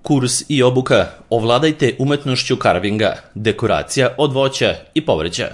Kurs i obuka Ovladajte umetnošću carvinga, dekoracija od voća i povrća.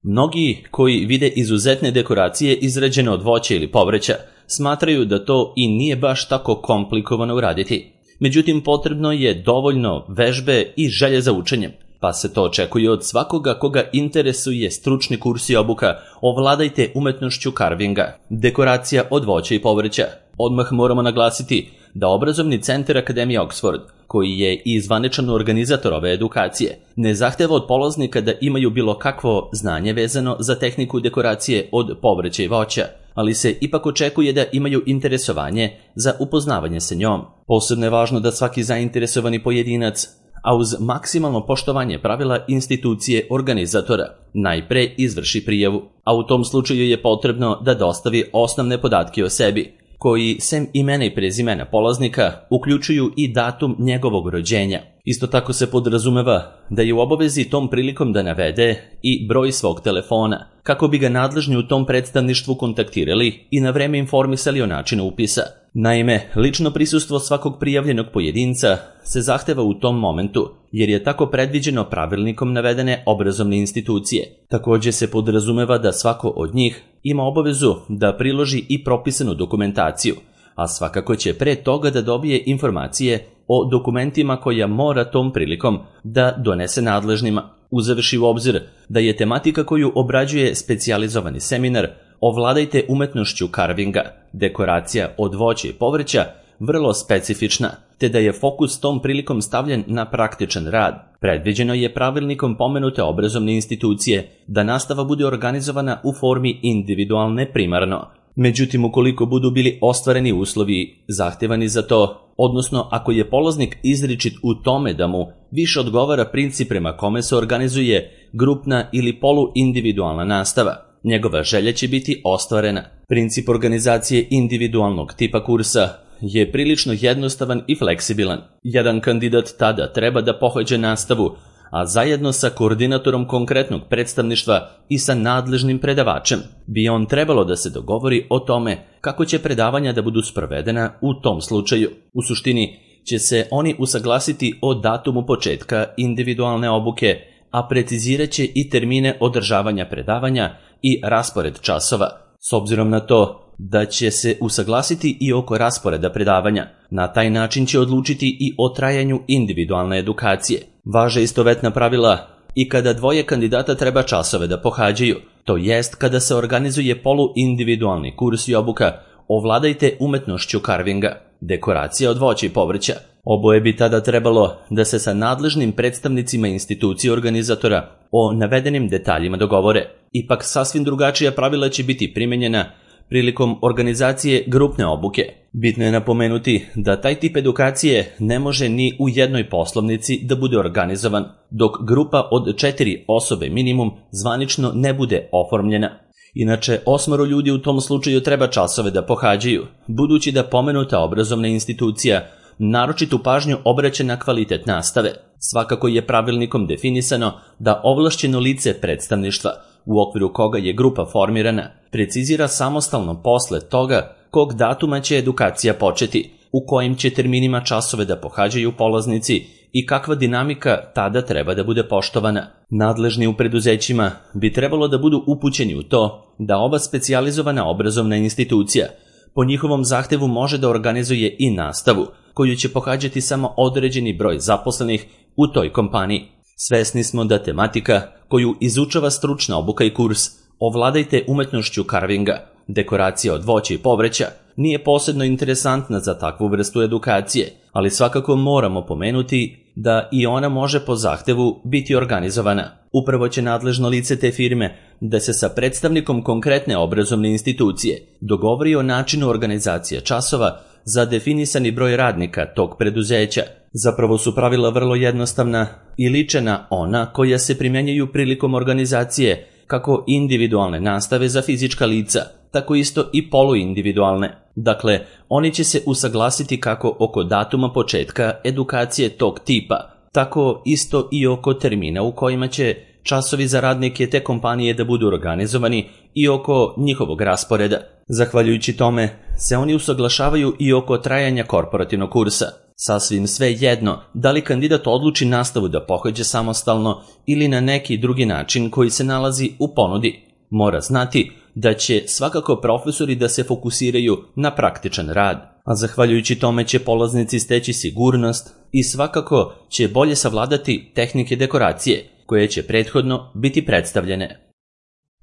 Mnogi koji vide izuzetne dekoracije izrađene od voća ili povrća smatraju da to i nije baš tako komplikovano uraditi. Međutim, potrebno je dovoljno vežbe i želje za učenjem, pa se to očekuje od svakoga koga interesuje stručni kurs i obuka Ovladajte umetnošću carvinga, dekoracija od voća i povrća. Odmah moramo naglasiti da obrazovni centar Akademije Oxford, koji je i zvaničan organizator ove edukacije, ne zahteva od polaznika da imaju bilo kakvo znanje vezano za tehniku dekoracije od povrća i voća, ali se ipak očekuje da imaju interesovanje za upoznavanje sa njom. Posebno je važno da svaki zainteresovani pojedinac, a uz maksimalno poštovanje pravila institucije organizatora, najpre izvrši prijavu, a u tom slučaju je potrebno da dostavi osnovne podatke o sebi, koji sem imena i prezimena polaznika uključuju i datum njegovog rođenja. Isto tako se podrazumeva da je u obavezi tom prilikom da navede i broj svog telefona, kako bi ga nadležni u tom predstavništvu kontaktirali i na vreme informisali o načinu upisa. Naime, lično prisustvo svakog prijavljenog pojedinca se zahteva u tom momentu, jer je tako predviđeno pravilnikom navedene obrazovne institucije. Također se podrazumeva da svako od njih ima obavezu da priloži i propisanu dokumentaciju, a svakako će pre toga da dobije informacije o dokumentima koja mora tom prilikom da donese nadležnima, uzevši u obzir da je tematika koju obrađuje specijalizovani seminar Ovladajte umetnošću carvinga, dekoracija od voća i povrća, vrlo specifična, te da je fokus tom prilikom stavljen na praktičan rad. Predviđeno je pravilnikom pomenute obrazovne institucije da nastava bude organizovana u formi individualne primarno. Međutim, ukoliko budu bili ostvareni uslovi zahtevani za to, odnosno ako je polaznik izričit u tome da mu više odgovara princip prema kome se organizuje grupna ili poluindividualna nastava, njegova želja će biti ostvarena. Princip organizacije individualnog tipa kursa je prilično jednostavan i fleksibilan. Jedan kandidat tada treba da pohađa nastavu, a zajedno sa koordinatorom konkretnog predstavništva i sa nadležnim predavačem bi on trebalo da se dogovori o tome kako će predavanja da budu sprovedena u tom slučaju. U suštini će se oni usaglasiti o datumu početka individualne obuke, a precizirat će i termine održavanja predavanja i raspored časova. S obzirom na to da će se usaglasiti i oko rasporeda predavanja, na taj način će odlučiti i o trajanju individualne edukacije. Važe istovetna pravila i kada dvoje kandidata treba časove da pohađaju, to jest kada se organizuje poluindividualni kurs i obuka Ovladajte umetnošću carvinga, dekoracija od voća i povrća. Oboje bi tada trebalo da se sa nadležnim predstavnicima institucije organizatora o navedenim detaljima dogovore. Ipak sasvim drugačija pravila će biti primenjena prilikom organizacije grupne obuke. Bitno je napomenuti da taj tip edukacije ne može ni u jednoj poslovnici da bude organizovan, dok grupa od 4 osobe minimum zvanično ne bude oformljena. Inače, 8 ljudi u tom slučaju treba časove da pohađaju, budući da pomenuta obrazovna institucija naročitu pažnju obraća na kvalitet nastave. Svakako je pravilnikom definisano da ovlašćeno lice predstavništva, u okviru koga je grupa formirana, precizira samostalno posle toga kog datuma će edukacija početi, u kojim će terminima časove da pohađaju polaznici i kakva dinamika tada treba da bude poštovana. Nadležni u preduzećima bi trebalo da budu upućeni u to da ova specijalizovana obrazovna institucija po njihovom zahtevu može da organizuje i nastavu, koju će pohađati samo određeni broj zaposlenih u toj kompaniji. Svesni smo da tematika koju izučava stručna obuka i kurs Ovladajte umetnošću carvinga, dekoracija od voća i povrća, nije posebno interesantna za takvu vrstu edukacije, ali svakako moramo pomenuti da i ona može po zahtevu biti organizovana. Upravo će nadležno lice te firme da se sa predstavnikom konkretne obrazovne institucije dogovori o načinu organizacije časova za definisani broj radnika tog preduzeća. Zapravo su pravila vrlo jednostavna i liče na ona koja se primjenjuju prilikom organizacije kako individualne nastave za fizička lica, tako isto i poluindividualne. Dakle, oni će se usaglasiti kako oko datuma početka edukacije tog tipa, tako isto i oko termina u kojima će časovi za radnike te kompanije da budu organizovani i oko njihovog rasporeda. Zahvaljujući tome se oni usaglašavaju i oko trajanja korporativnog kursa. Sasvim sve jedno da li kandidat odluči nastavu da pohađa samostalno ili na neki drugi način koji se nalazi u ponudi. Mora znati da će svakako profesori da se fokusiraju na praktičan rad, a zahvaljujući tome će polaznici steći sigurnost i svakako će bolje savladati tehnike dekoracije koje će prethodno biti predstavljene.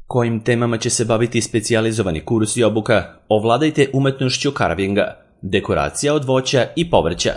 Kojim temama će se baviti specijalizovani kurs i obuka? Ovladajte umetnošću carvinga, dekoracija od voća i povrća.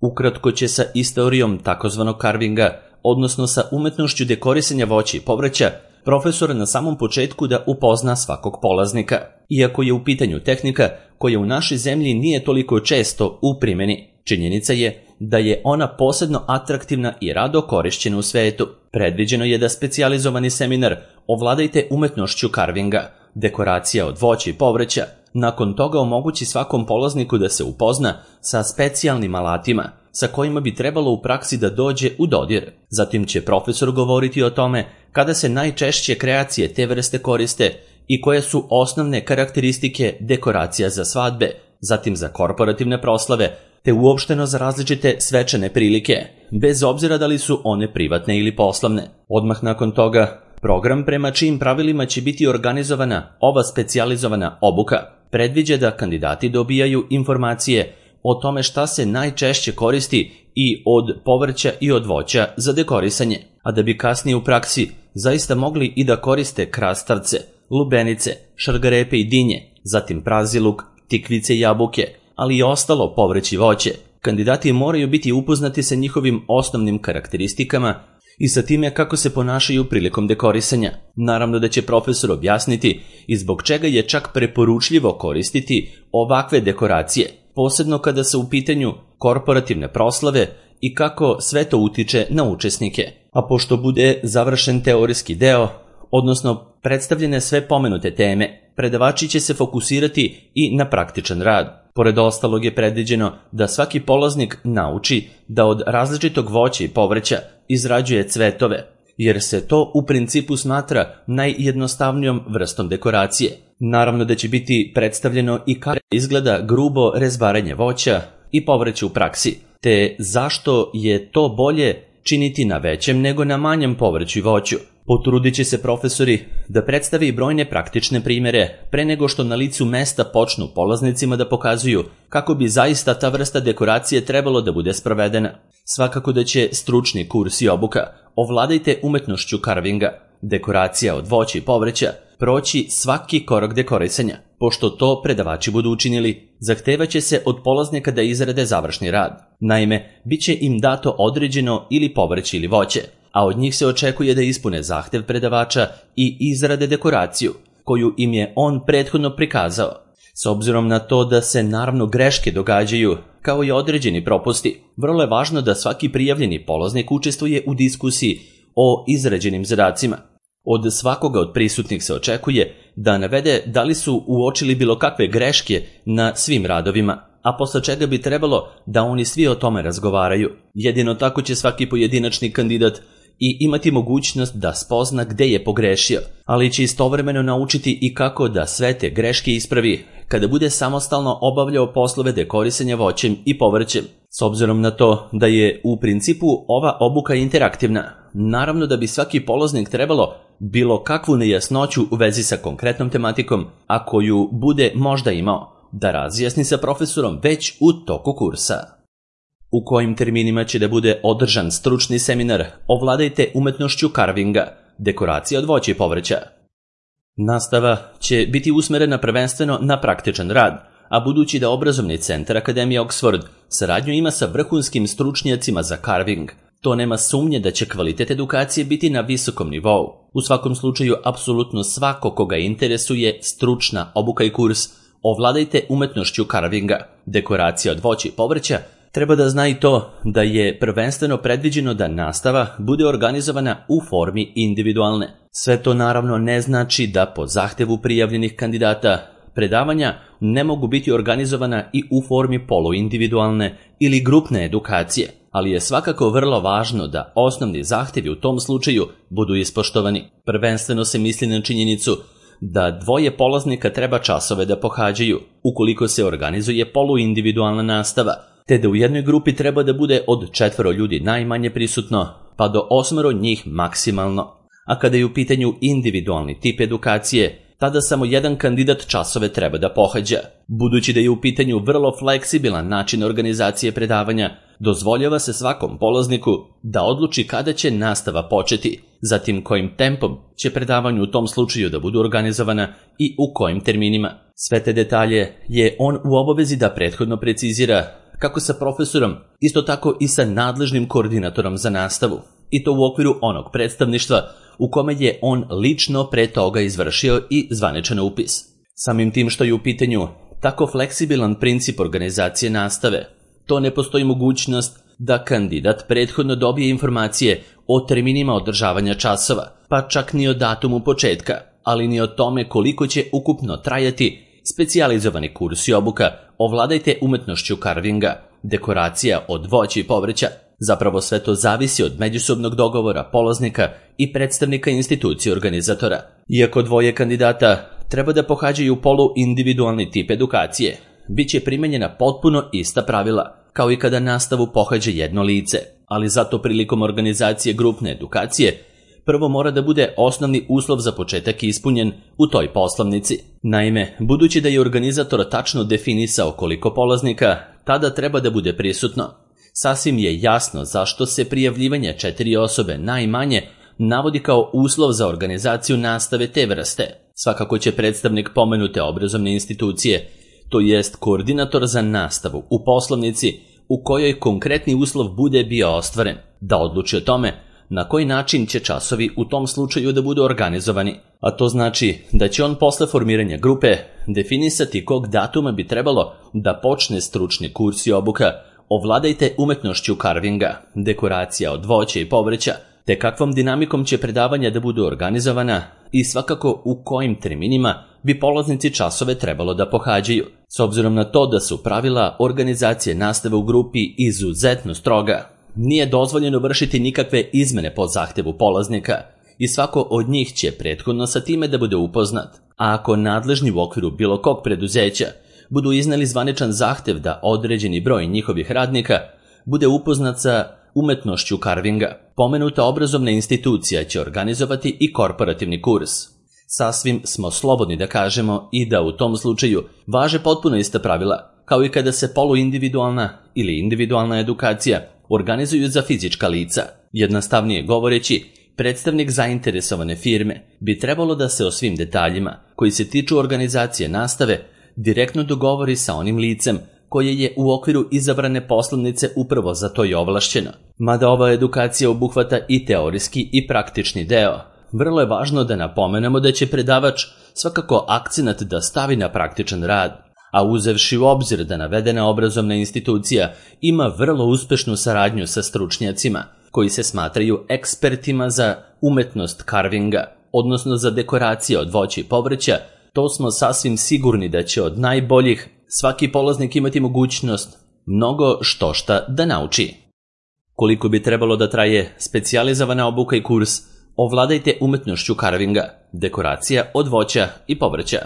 Ukratko će sa istorijom takozvanog carvinga, odnosno sa umetnošću dekorisanja voća i povrća, profesor na samom početku da upozna svakog polaznika, iako je u pitanju tehnika koja u našoj zemlji nije toliko često u primjeni. Činjenica je da je ona posebno atraktivna i rado korišćena u svetu. Predviđeno je da specijalizovani seminar Ovladajte umetnošću carvinga, dekoracija od voća i povrća, nakon toga omogući svakom polazniku da se upozna sa specijalnim alatima sa kojima bi trebalo u praksi da dođe u dodir. Zatim će profesor govoriti o tome kada se najčešće kreacije te vrste koriste i koje su osnovne karakteristike dekoracija za svadbe, zatim za korporativne proslave, te uopšteno za različite svečane prilike, bez obzira da li su one privatne ili poslovne. Odmah nakon toga, program prema čijim pravilima će biti organizovana ova specijalizovana obuka predviđa da kandidati dobijaju informacije o tome šta se najčešće koristi i od povrća i od voća za dekorisanje, a da bi kasnije u praksi zaista mogli i da koriste krastavce, lubenice, šargarepe i dinje, zatim praziluk, tikvice i jabuke, ali i ostalo povrće i voće. Kandidati moraju biti upoznati sa njihovim osnovnim karakteristikama i sa time kako se ponašaju prilikom dekorisanja. Naravno da će profesor objasniti i zbog čega je čak preporučljivo koristiti ovakve dekoracije, posebno kada su u pitanju korporativne proslave i kako sve to utiče na učesnike. A pošto bude završen teorijski deo, odnosno predstavljene sve pomenute teme, predavači će se fokusirati i na praktičan rad. Pored ostalog je predviđeno da svaki polaznik nauči da od različitog voća i povrća izrađuje cvetove, jer se to u principu smatra najjednostavnijom vrstom dekoracije. Naravno da će biti predstavljeno i kako izgleda grubo rezbaranje voća i povrća u praksi, te zašto je to bolje činiti na većem nego na manjem povrću i voću. Potrudit će se profesori da predstavi brojne praktične primjere pre nego što na licu mesta počnu polaznicima da pokazuju kako bi zaista ta vrsta dekoracije trebalo da bude sprovedena. Svakako da će stručni kurs i obuka Ovladajte umetnošću carvinga, dekoracija od voća i povrća, proći svaki korak dekorisanja. Pošto to predavači budu učinili, zahtevaće se od polaznika da izrade završni rad. Naime, bit će im dato određeno ili povrće ili voće, a od njih se očekuje da ispune zahtev predavača i izrade dekoraciju, koju im je on prethodno prikazao. S obzirom na to da se naravno greške događaju, kao i određeni propusti, vrlo je važno da svaki prijavljeni polaznik učestvuje u diskusiji o izrađenim zadacima. Od svakoga od prisutnih se očekuje da navede da li su uočili bilo kakve greške na svim radovima, a posle čega bi trebalo da oni svi o tome razgovaraju. Jedino tako će svaki pojedinačni kandidat i imati mogućnost da spozna gde je pogrešio, ali će istovremeno naučiti i kako da sve te greške ispravi kada bude samostalno obavljao poslove dekorisanja voćem i povrćem. S obzirom na to da je u principu ova obuka interaktivna, naravno da bi svaki polaznik trebalo bilo kakvu nejasnoću u vezi sa konkretnom tematikom, a koju bude možda imao, da razjasni sa profesorom već u toku kursa. U kojim terminima će da bude održan stručni seminar Ovladajte umetnošću carvinga, dekoracija od voća i povrća? Nastava će biti usmerena prvenstveno na praktičan rad, a budući da obrazovni centar Akademije Oxford saradnju ima sa vrhunskim stručnjacima za carving, to nema sumnje da će kvalitet edukacije biti na visokom nivou. U svakom slučaju, apsolutno svako koga interesuje stručna obuka i kurs Ovladajte umetnošću carvinga, dekoracija od voća i povrća, treba da zna i to da je prvenstveno predviđeno da nastava bude organizovana u formi individualne. Sve to naravno ne znači da po zahtevu prijavljenih kandidata predavanja ne mogu biti organizovana i u formi poluindividualne ili grupne edukacije, ali je svakako vrlo važno da osnovni zahtevi u tom slučaju budu ispoštovani. Prvenstveno se misli na činjenicu da dvoje polaznika treba časove da pohađaju, ukoliko se organizuje poluindividualna nastava, te da u jednoj grupi treba da bude od 4 ljudi najmanje prisutno, pa do 8 njih maksimalno. A kada je u pitanju individualni tip edukacije, tada samo jedan kandidat časove treba da pohađa. Budući da je u pitanju vrlo fleksibilan način organizacije predavanja, dozvoljava se svakom polazniku da odluči kada će nastava početi, zatim kojim tempom će predavanje u tom slučaju da budu organizovana i u kojim terminima. Sve te detalje je on u obavezi da prethodno precizira kako sa profesorom, isto tako i sa nadležnim koordinatorom za nastavu, i to u okviru onog predstavništva u kome je on lično pre toga izvršio i zvaničan upis. Samim tim što je u pitanju tako fleksibilan princip organizacije nastave, to ne postoji mogućnost da kandidat prethodno dobije informacije o terminima održavanja časova, pa čak ni o datumu početka, ali ni o tome koliko će ukupno trajati specijalizovani kurs i obuka Ovladajte umetnošću carvinga, dekoracija od voća i povrća. Zapravo sve to zavisi od međusobnog dogovora polaznika i predstavnika institucije organizatora. Iako 2 kandidata treba da pohađaju polu-individualni tip edukacije, bit će primenjena potpuno ista pravila, kao i kada nastavu pohađa jedno lice, ali zato prilikom organizacije grupne edukacije prvo mora da bude osnovni uslov za početak ispunjen u toj poslovnici. Naime, budući da je organizator tačno definisao koliko polaznika tada treba da bude prisutno, sasvim je jasno zašto se prijavljivanje 4 osobe najmanje navodi kao uslov za organizaciju nastave te vrste. Svakako će predstavnik pomenute obrazovne institucije, to jest koordinator za nastavu u poslovnici u kojoj konkretni uslov bude bio ostvaren, da odluči o tome na koji način će časovi u tom slučaju da budu organizovani. A to znači da će on posle formiranja grupe definisati kog datuma bi trebalo da počne stručni kurs i obuka Ovladajte umetnošću carvinga, dekoracija od voća i povrća, te kakvom dinamikom će predavanja da budu organizovana i svakako u kojim terminima bi polaznici časove trebalo da pohađaju. S obzirom na to da su pravila organizacije nastave u grupi izuzetno stroga, nije dozvoljeno vršiti nikakve izmene po zahtevu polaznika i svako od njih će prethodno sa time da bude upoznat. A ako nadležni u okviru bilo kog preduzeća budu izneli zvaničan zahtev da određeni broj njihovih radnika bude upoznat sa umetnošću carvinga, pomenuta obrazovna institucija će organizovati i korporativni kurs. Sasvim smo slobodni da kažemo i da u tom slučaju važe potpuno ista pravila, kao i kada se poluindividualna ili individualna edukacija organizuju za fizička lica. Jednostavnije govoreći, predstavnik zainteresovane firme bi trebalo da se o svim detaljima koji se tiču organizacije nastave direktno dogovori sa onim licem koje je u okviru izabrane poslovnice upravo za to i ovlašćeno. Mada ova edukacija obuhvata i teorijski i praktični deo, vrlo je važno da napomenemo da će predavač svakako akcenat da stavi na praktičan rad, a uzevši u obzir da navedena obrazovna institucija ima vrlo uspešnu saradnju sa stručnjacima koji se smatraju ekspertima za umetnost carvinga, odnosno za dekoracije od voća i povrća, to smo sasvim sigurni da će od najboljih svaki polaznik imati mogućnost mnogo štošta da nauči. Koliko bi trebalo da traje specijalizovana obuka i kurs Ovladajte umetnošću carvinga, dekoracija od voća i povrća?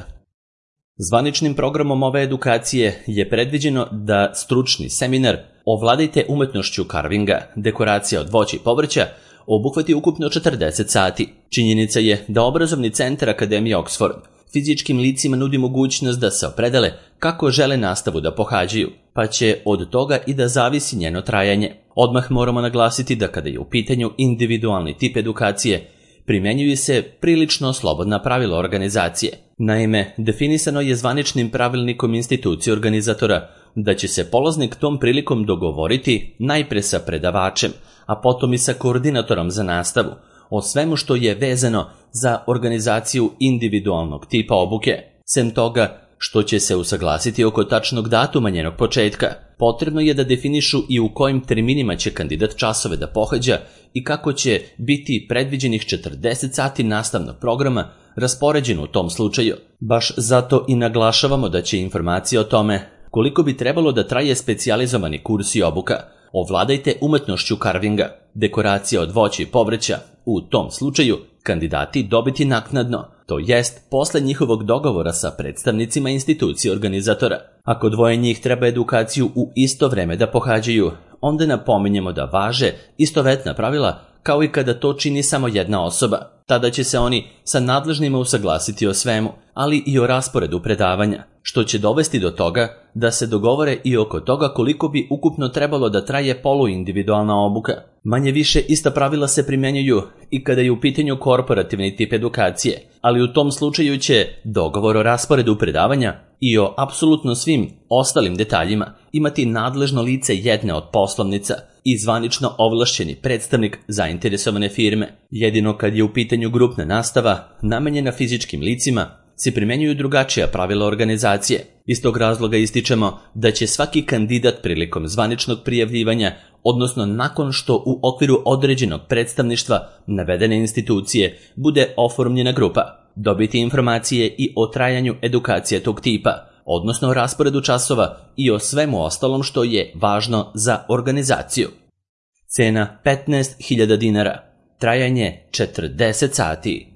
Zvaničnim programom ove edukacije je predviđeno da stručni seminar Ovladajte umetnošću carvinga, dekoracija od voća i povrća obuhvati ukupno 40 sati. Činjenica je da obrazovni centar Akademije Oxford fizičkim licima nudi mogućnost da se opredele kako žele nastavu da pohađaju, pa će od toga i da zavisi njeno trajanje. Odmah moramo naglasiti da kada je u pitanju individualni tip edukacije, primenjuju se prilično slobodna pravila organizacije. Naime, definisano je zvaničnim pravilnikom institucije organizatora da će se polaznik tom prilikom dogovoriti najpre sa predavačem, a potom i sa koordinatorom za nastavu, o svemu što je vezano za organizaciju individualnog tipa obuke. Sem toga što će se usaglasiti oko tačnog datuma njenog početka, potrebno je da definišu i u kojim terminima će kandidat časove da pohađa i kako će biti predviđenih 40 sati nastavnog programa raspoređeno u tom slučaju. Baš zato i naglašavamo da će informacije o tome koliko bi trebalo da traje specijalizovani kurs i obuka Ovladajte umetnošću carvinga, dekoracija od voća i povrća, u tom slučaju kandidati dobiti naknadno, to jest posle njihovog dogovora sa predstavnicima institucije organizatora. Ako dvoje njih treba edukaciju u isto vreme da pohađaju, onda napominjemo da važe istovetna pravila kao i kada to čini samo jedna osoba. Tada će se oni sa nadležnima usaglasiti o svemu, ali i o rasporedu predavanja, što će dovesti do toga da se dogovore i oko toga koliko bi ukupno trebalo da traje poluindividualna obuka. Manje više ista pravila se primjenjuju i kada je u pitanju korporativni tip edukacije, ali u tom slučaju će dogovor o rasporedu predavanja i o apsolutno svim ostalim detaljima imati nadležno lice jedne od poslovnica i zvanično ovlašćeni predstavnik zainteresovane firme. Jedino kad je u pitanju grupna nastava namenjena fizičkim licima se primjenjuju drugačija pravila organizacije. Iz tog razloga ističemo da će svaki kandidat prilikom zvaničnog prijavljivanja, odnosno nakon što u okviru određenog predstavništva navedene institucije bude oformljena grupa, dobiti informacije i o trajanju edukacije tog tipa, odnosno o rasporedu časova i o svemu ostalom što je važno za organizaciju. Cena 15.000 dinara, trajanje 40 sati.